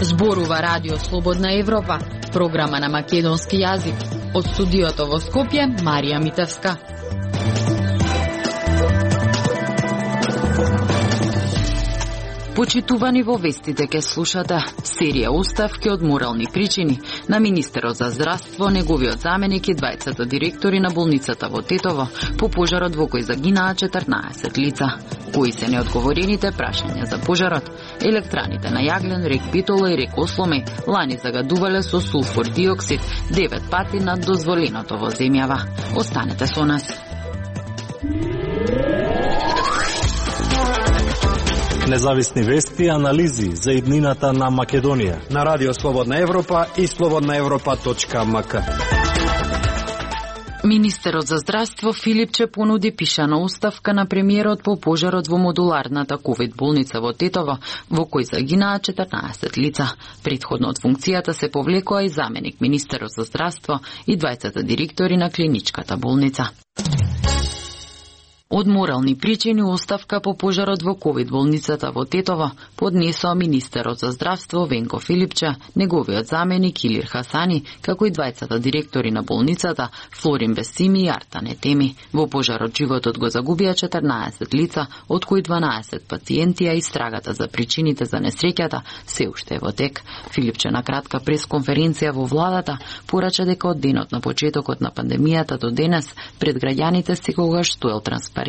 Зборува Радио Слободна Европа, програма на македонски јазик. Од студиото во Скопје, Марија Митевска. Почитувани, во вестите ке слушате серија оставки од морални причини на министерот за здравство, неговиот заменик и двајцата директори на болницата во Тетово по пожарот во кој загинаа 14 лица. Кои се неодговорените прашања за пожарот? Електраните на јаглен, рек Битола и рек Осломе лани загадувале со сулфур диоксид 9 пати над дозволеното во земјава. Останете со нас. Независни вести и анализи за иднината на Македонија на Радио Слободна Европа и slobodnaevropa.mk. Министерот за здравство Филипче понуди пишана оставка на премиерот по пожарот во модуларната ковид болница во Тетово, во кој загинаа 14 лица. Претходно од функцијата се повлекоа и заменик министерот за здравство и двајцата директори на клиничката болница. Од морални причини оставка по пожарот во ковид болницата во Тетово поднесоа министерот за здравство Венко Филипче, неговиот заменик Илир Хасани, како и двајцата директори на болницата Флорин Бесими и Артан Етеми. Во пожарот животот го загубија 14 лица, од кои 12 пациенти, а истрагата за причините за несреќата се уште е во тек. Филипче на кратка пресконференција во владата порача дека од денот на почетокот на пандемијата до денес пред граѓаните секогаш стоел транспарентно,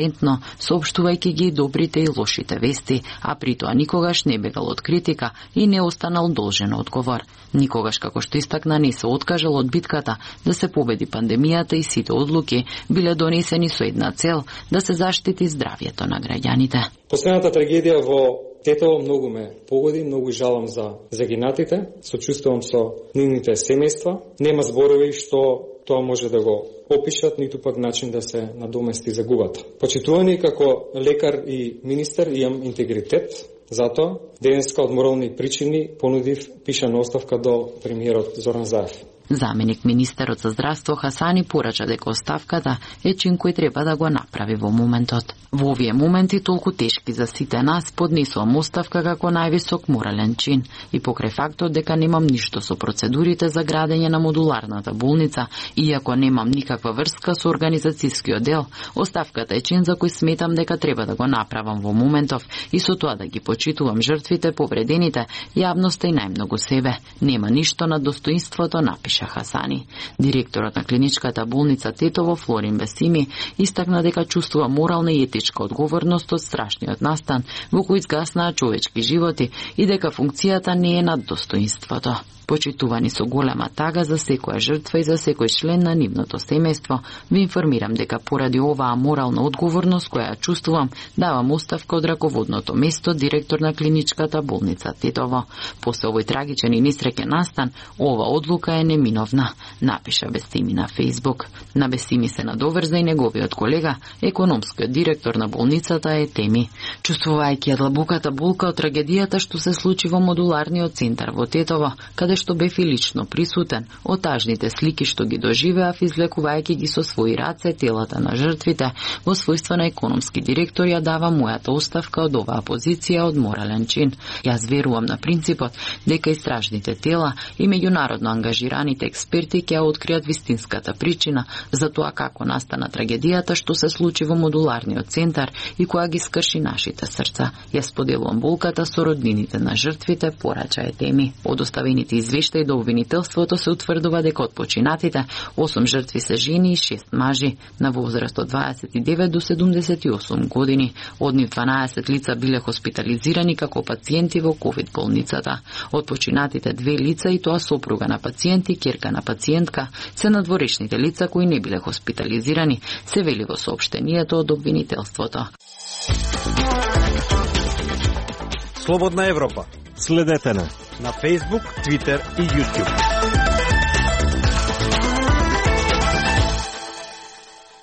соопштувајќи ги добрите и лошите вести, а при тоа никогаш не бегал од критика и не останал должен одговор. Никогаш, како што истакна, не се откажал од битката да се победи пандемијата и сите одлуки биле донесени со една цел да се заштити здравјето на граѓаните. Последната трагедија во Тетово многу ме погоди, многу жалам за загинатите, сочувствувам со нивните семејства. Нема зборови што тоа може да го опишат, ниту пак начин да се надомести загубата. Почитувани како лекар и министер имам интегритет, затоа денеска од морални причини понудив пишана оставка до премиерот Зоран Заев. Заменик министерот за здравство Хасани порача дека оставката е чин кој треба да го направи во моментот. Во овие моменти толку тешки за сите нас поднесувам оставка како највисок морален чин и покрај фактот дека немам ништо со процедурите за градење на модуларната болница, иако немам никаква врска со организацијскиот дел, оставката е чин за кој сметам дека треба да го направам во моментов и со тоа да ги почитувам жртвите, повредените, јавноста и најмногу себе. Нема ништо на достоинството, напиша Хасани. Директорот на клиничката болница Тетово Флорин Бесими истакна дека чувствува морална и етичка одговорност од страшниот настан во кој изгаснаа човечки животи и дека функцијата не е над достоинството. Почитувани со голема тага за секоја жртва и за секој член на нивното семејство, ви информирам дека поради оваа морална одговорност која чувствувам, давам оставка од раководното место директор на клиничката болница Тетово. После овој трагичен и несреќен настан, ова одлука е неминовна, напиша Бесими на Фејсбук. На Бесими се надоврза и неговиот колега, економскиот директор на болницата Етеми. Чувствувајќи длабоката болка од трагедијата што се случи во модуларниот центар во Тетово, каде што бев и лично присутен, од тажните слики што ги доживеав, излекувајќи ги со своји раце телата на жртвите, во својство на економски директор ја дава мојата оставка од оваа позиција од морален чин. Јас верувам на принципот дека истражните тела и меѓународно ангажираните експерти ќе ја откријат вистинската причина за тоа како настана трагедијата што се случи во модуларниот центар и која ги скрши нашите срца. Јас поделувам болката со роднините на жртвите, порача Етеми. Од оставените извештаи до обвинителството се утврдува дека од починатите 8 жртви се жени и 6 мажи на возраст од 29 до 78 години. Од нив 12 лица биле хоспитализирани како пациенти во ковид болницата. Од починатите 2 лица и тоа сопруга на пациент и ќерка на пациентка се надворешните лица кои не биле хоспитализирани, се вели во соопштението од обвинителството. Слободна Европа. Следете на Facebook, Twitter и YouTube.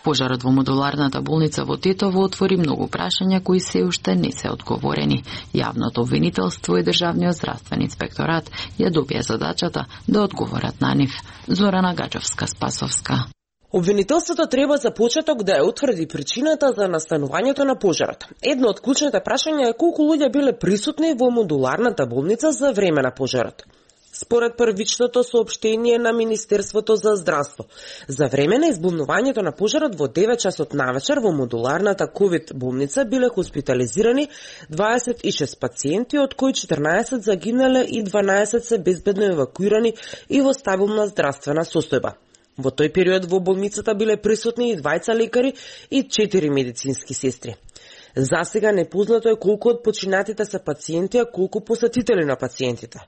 Пожарот во модуларната болница во Тетово отвори многу прашања кои се уште не се одговорени. Јавното обвинителство и Државниот здравствен инспекторат ја добија задачата да одговорат на нив. Зорана Гаджовска-Спасовска. Обвинителството треба за почеток да ја утврди причината за настанувањето на пожарот. Едно од клучните прашања е колку луѓе биле присутни во модуларната болница за време на пожарот. Според првичното соопштение на Министерството за здравство, за време на избунувањето на пожарот во 9 часот навечер во модуларната ковид болница биле хоспитализирани 26 пациенти, од кои 14 загинале и 12 се безбедно евакуирани и во стабилна здравствена состојба. Во тој период во болницата биле присутни и 2 лекари и 4 медицински сестри. За сега непознато е колку од починатите се пациенти, а колку посетители на пациентите.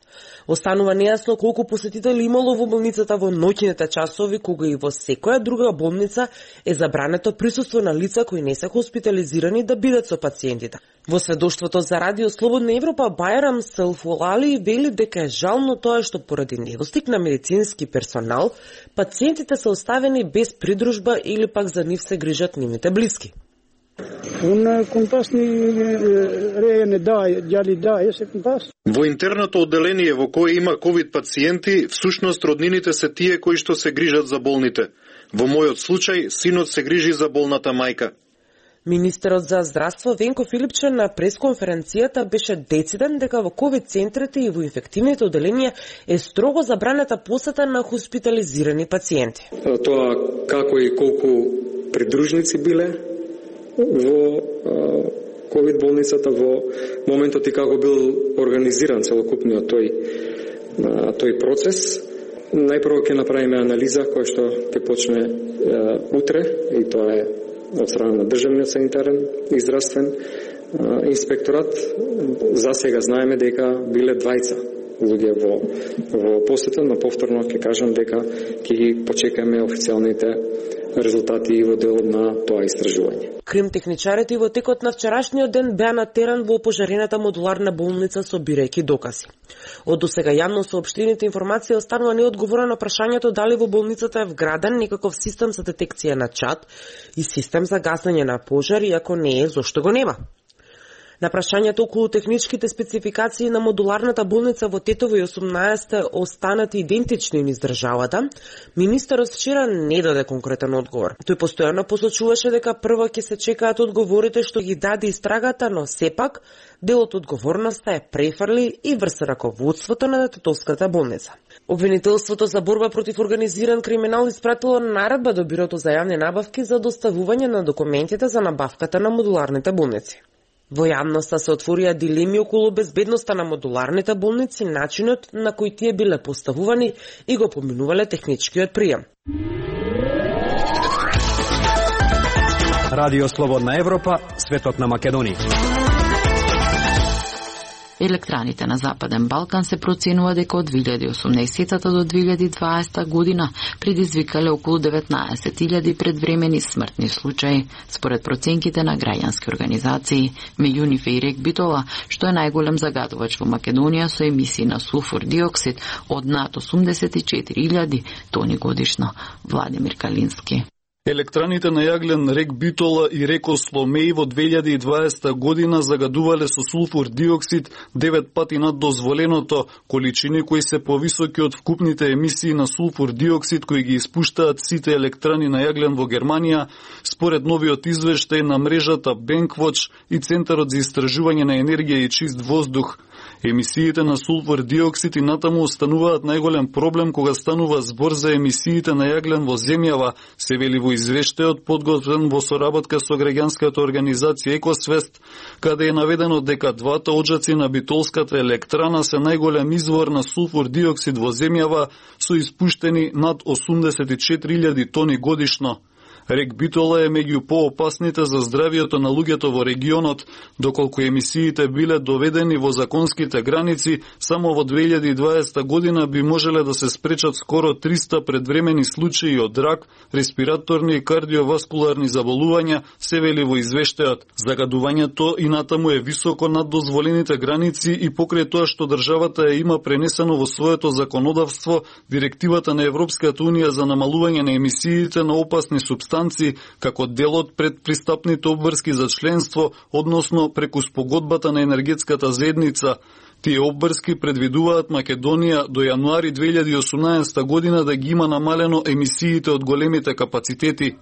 Останува нејасно колку посетители имало во болницата во ноќните часови, кога и во секоја друга болница е забрането присуство на лица кои не се хоспитализирани да бидат со пациентите. Во сведоштвото за Радио Слободна Европа, Бајрам Селфолали вели дека е жално тоа што поради недостиг на медицински персонал, пациентите се оставени без придружба или пак за нив се грижат нивните блиски. Во интерното одделение во кое има ковид пациенти, всушност роднините се тие кои што се грижат за болните. Во мојот случај, синот се грижи за болната мајка. Министерот за здравство Венко Филипче на пресконференцијата беше дециден дека во ковид центрите и во инфективните одделенија е строго забранета посета на хоспитализирани пациенти. Тоа како и колку придружници биле во ковид болницата во моментот и како бил организиран целокупниот тој процес. Најпрво ќе направиме анализа која што ќе почне утре и тоа е од страна на Државниот санитарен и здравствен инспекторат. За сега знаеме дека биле 2 луѓе во посета, но повторно ќе кажам дека ќе ги почекаме официјалните резултати и во делот на тоа истражување. Кримтехничарите во текот на вчерашниот ден беа на терен во опожарената модуларна болница собирајќи докази. Од досега јавно соопштените информации останува неодговорено прашањето дали во болницата е вграден некаков систем за детекција на чад и систем за гасење на пожар, и ако не е, зошто го нема? На прашањето околу техничките спецификации на модуларната болница во Тетово и 18 останати идентични низ државата, министерот вчера не даде конкретен одговор. Тој постојано посочуваше дека прво ќе се чекаат одговорите што ги даде истрагата, но сепак дел од одговорноста е префрли и врз раководството на Тетовската болница. Обвинителството за борба против организиран криминал испратило наредба до Бирото за јавни набавки за доставување на документите за набавката на модуларните болници. Во јавноста се отворија дилеми околу безбедноста на модуларните болници, начинот на кој тие биле поставувани и го поминувале техничкиот прием. Радио Слободна Европа, светот на Македонија. Електраните на Западен Балкан се проценува дека од 2018 до 2020 година предизвикале околу 19.000 предвремени смртни случаи, според проценките на граѓански организации, меѓу нив и Рек Битола, што е најголем загадувач во Македонија со емисии на сулфур диоксид од над 84.000 тони годишно. Владимир Калински. Електраните на јаглен Рек Битола и Реко Сломеј во 2020 година загадувале со сулфур диоксид 9 пати над дозволеното, количини кои се повисоки од вкупните емисии на сулфур диоксид кои ги испуштаат сите електрани на јаглен во Германија, според новиот извештај на мрежата Bankwatch и Центарот за истражување на енергија и чист воздух. Емисиите на сулфур диоксид и натаму остануваат најголем проблем кога станува збор за емисиите на јаглен во земјава, се вели во извештајот подготвен во соработка со граѓанската организација Екосвест, каде е наведено дека двата оджаци на битолската електрана се најголем извор на сулфур диоксид во земјава со испуштени над 84.000 тони годишно. Рек Битола е меѓу поопасните за здравието на луѓето во регионот, доколку емисиите биле доведени во законските граници, само во 2020 година би можеле да се спречат скоро 300 предвремени случаи од рак, респираторни и кардиоваскуларни заболувања, се вели во извештајот. Загадувањето и натаму е високо над дозволените граници и покрај тоа што државата има пренесено во своето законодавство Директивата на Европската унија за намалување на емисиите на опасни супстанции консултанци како дел од предпристапните обврски за членство, односно преку спогодбата на енергетската заедница. Тие обврски предвидуваат Македонија до јануари 2018 година да ги има намалено емисиите од големите капацитети.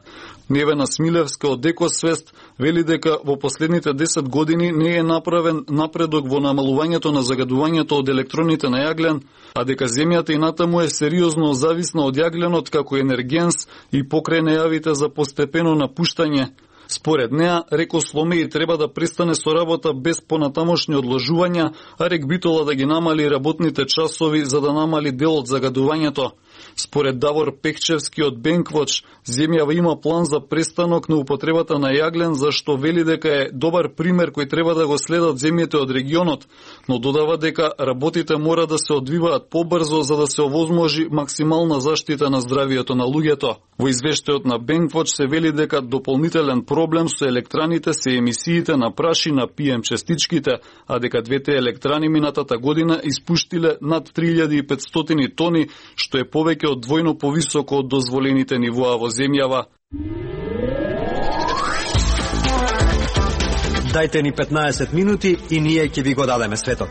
Невена Смилевска од Екосвест вели дека во последните 10 години не е направен напредок во намалувањето на загадувањето од електроните на јаглен, а дека земјата и натаму е сериозно зависна од јагленот како енергенс и покрај најавите за постепено напуштање. Според неа, Рекосломеи треба да престане со работа без понатамошни одложувања, а Рек Битола да ги намали работните часови за да намали дел од загадувањето. Според Давор Пехчевски од Бенквоч, земјава има план за престанок на употребата на јаглен, зашто вели дека е добар пример кој треба да го следат земјите од регионот, но додава дека работите мора да се одвиваат побрзо за да се овозможи максимална заштита на здравието на луѓето. Во извештајот на Бенквоч се вели дека дополнителен проблем со електраните се емисиите на прашина PM честичките, а дека двете електрани минатата година испуштиле над 3500 тони, што е повеќе од двојно повисоко од дозволените нивоа во земјава. Дајте ни 15 минути и ние ќе ви го дадеме светот.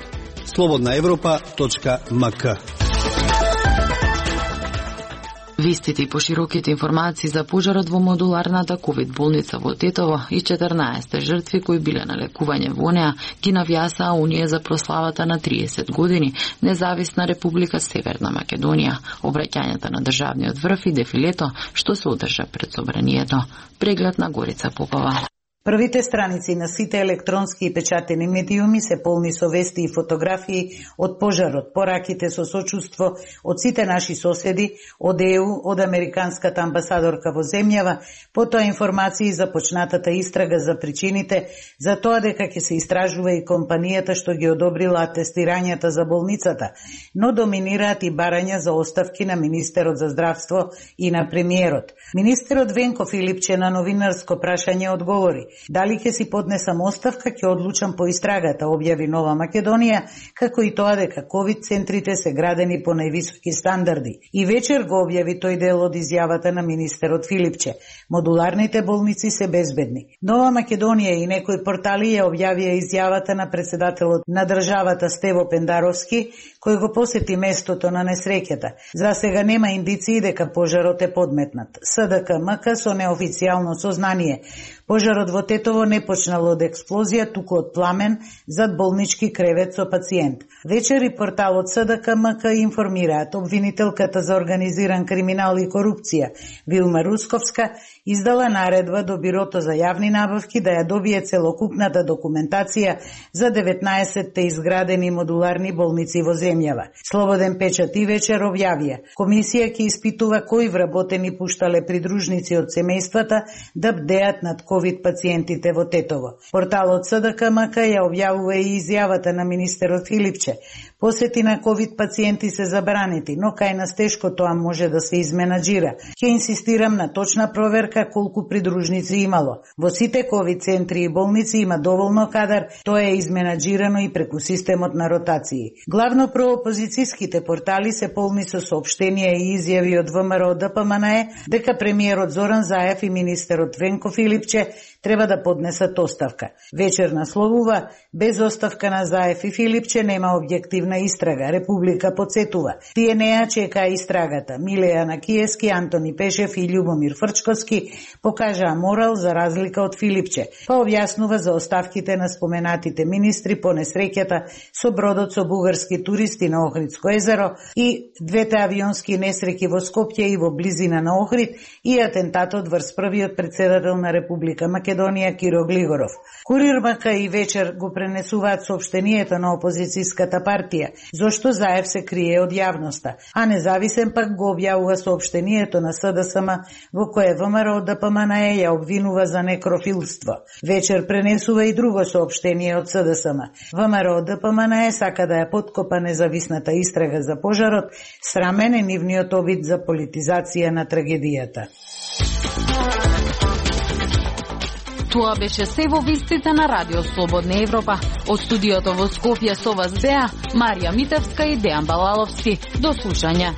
slobodnaevropa.mk. Вистите и пошироките информации за пожарот во модуларната ковид болница во Тетово и 14 жртви кои биле на лекување во неа ги навјасаа Унија за прославата на 30 години Независна Република Северна Македонија, обраќањето на државниот врв и дефилето што се одржа пред собранието. Преглед на Горица Попова. Првите страници на сите електронски и печатени медиуми се полни со вести и фотографии од пожарот, пораките со сочувство од сите наши соседи, од ЕУ, од американската амбасадорка во земјава, потоа информации за почнатата истрага за причините, за тоа дека ќе се истражува и компанијата што ги одобрила атестирањата за болницата, но доминираат и барања за оставки на министерот за здравство и на премиерот. Министерот Венко Филипче на новинарско прашање одговори: дали ќе си поднесам оставка, ќе одлучам по истрагата, објави Нова Македонија, како и тоа дека ковид центрите се градени по највисоки стандарди. И вечер го објави тој дел од изјавата на министерот Филипче: модуларните болници се безбедни. Нова Македонија и некои портали ја објавија изјавата на председателот на државата Стево Пендаровски, кој го посети местото на несреќата. За сега нема индиции дека пожарот е подметнат. СДК-МК со неофицијално сознание: пожарот во Тетово не почнал од експлозија, туку од пламен зад болнички кревет со пациент. Вечер и порталот СДК-МК информираат обвинителката за организиран криминал и корупција Вилма Русковска издала наредба до Бирото за јавни набавки да ја добие целокупната документација за 19-те изградени модуларни болници во земјава. Слободен печат и вечер објавија: комисија ќе испитува кои вработени пуштале придружници од семејствата да бдеат над ковид пациентите во Тетово. Порталот СДК-МК ја објавува и изјавата на министерот Филипче: посети на ковид пациенти се забранети, но кај нас тешко тоа може да се изменаџира. Ќе инсистирам на точна проверка колку придружници имало. Во сите ковид центри и болници има доволно кадар, тоа е изменаџирано и преку системот на ротации. Главно проопозицијските портали се полни со соопштенија и изјави од ВМРО ДПМНЕ дека премиерот Зоран Заев и министерот Венко Филипче треба да поднесат оставка. Вечер насловува: без оставка на Заев и Филипче нема објективна истрага. Република подсетува: тие неа чека истрагата. Милеја Накиевски, Антони Пешев и Љубомир Фрчковски покажаа морал за разлика од Филипче, па објаснува за оставките на споменатите министри по несреќата со бродот со бугарски туристи на Охридско езеро и двете авионски несреќи во Скопје и во близина на Охрид и атентатот врз првиот председател на Република Македонија Киро Глигоров. Курир МК и вечер го пренесуваат соопштението на опозицијската партија, зошто Заев се крие од јавноста, а Независен пак го објавува соопштението на СДСМ во кое ВМРО ДПМНЕ ја обвинува за некрофилство. Вечер пренесува и друго соопштение од СДСМ. ВМРО ДПМНЕ сака да ја подкопа независната истрага за пожарот, срамен е нивниот обид за политизација на трагедијата. Тоа беше се во вестите на Радио Слободна Европа. Од студиото во Скопје со вас беа Марија Митевска и Дејан Балаловски. До слушање.